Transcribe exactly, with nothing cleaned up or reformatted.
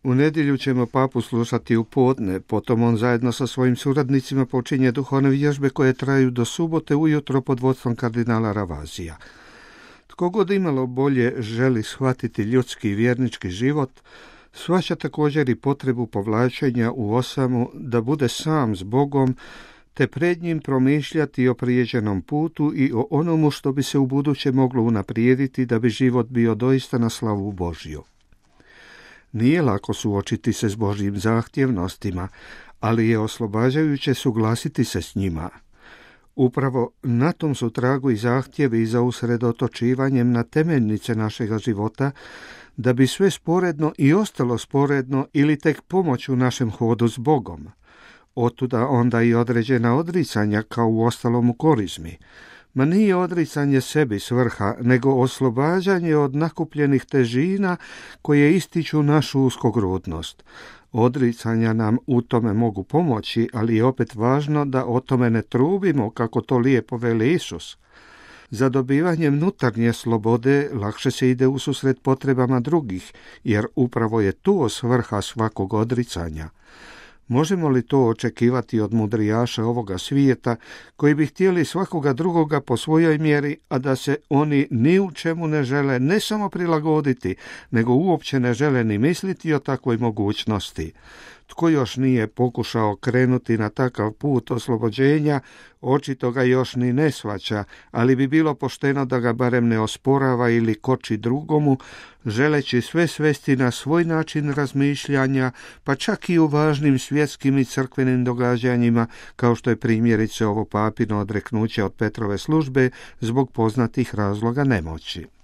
U nedjelju ćemo papu slušati u podne, potom on zajedno sa svojim suradnicima počinje duhovne vježbe koje traju do subote ujutro pod vodstvom kardinala Ravazija. Tko god imalo bolje želi shvatiti ljudski i vjernički život, shvaća također i potrebu povlačenja u osamu da bude sam s Bogom, te pred njim promišljati o prijeđenom putu i o onomu što bi se u buduće moglo unaprijediti da bi život bio doista na slavu Božju. Nije lako suočiti se s Božjim zahtjevnostima, ali je oslobađajuće suglasiti se s njima. Upravo na tom su tragu i zahtjevi za usredotočivanjem na temeljnice našega života, da bi sve sporedno i ostalo sporedno ili tek pomoć u našem hodu s Bogom. Otuda onda i određena odricanja kao u ostalom u korizmi. Ma nije odricanje sebi svrha, nego oslobađanje od nakupljenih težina koje ističu našu uskogrudnost. Odricanja nam u tome mogu pomoći, ali je opet važno da o tome ne trubimo, kako to lijepo veli Isus. Za dobivanjem unutarnje slobode lakše se ide ususret potrebama drugih, jer upravo je tu svrha svakog odricanja. Možemo li to očekivati od mudrijaša ovoga svijeta, koji bi htjeli svakoga drugoga po svojoj mjeri, a da se oni ni u čemu ne žele ne samo prilagoditi, nego uopće ne žele ni misliti o takvoj mogućnosti? Tko još nije pokušao krenuti na takav put oslobođenja, očito ga još ni ne shvaća, ali bi bilo pošteno da ga barem ne osporava ili koči drugomu, želeći sve svesti na svoj način razmišljanja, pa čak i u važnim svjetskim i crkvenim događanjima, kao što je primjerice ovo papino odreknuće od Petrove službe zbog poznatih razloga nemoći.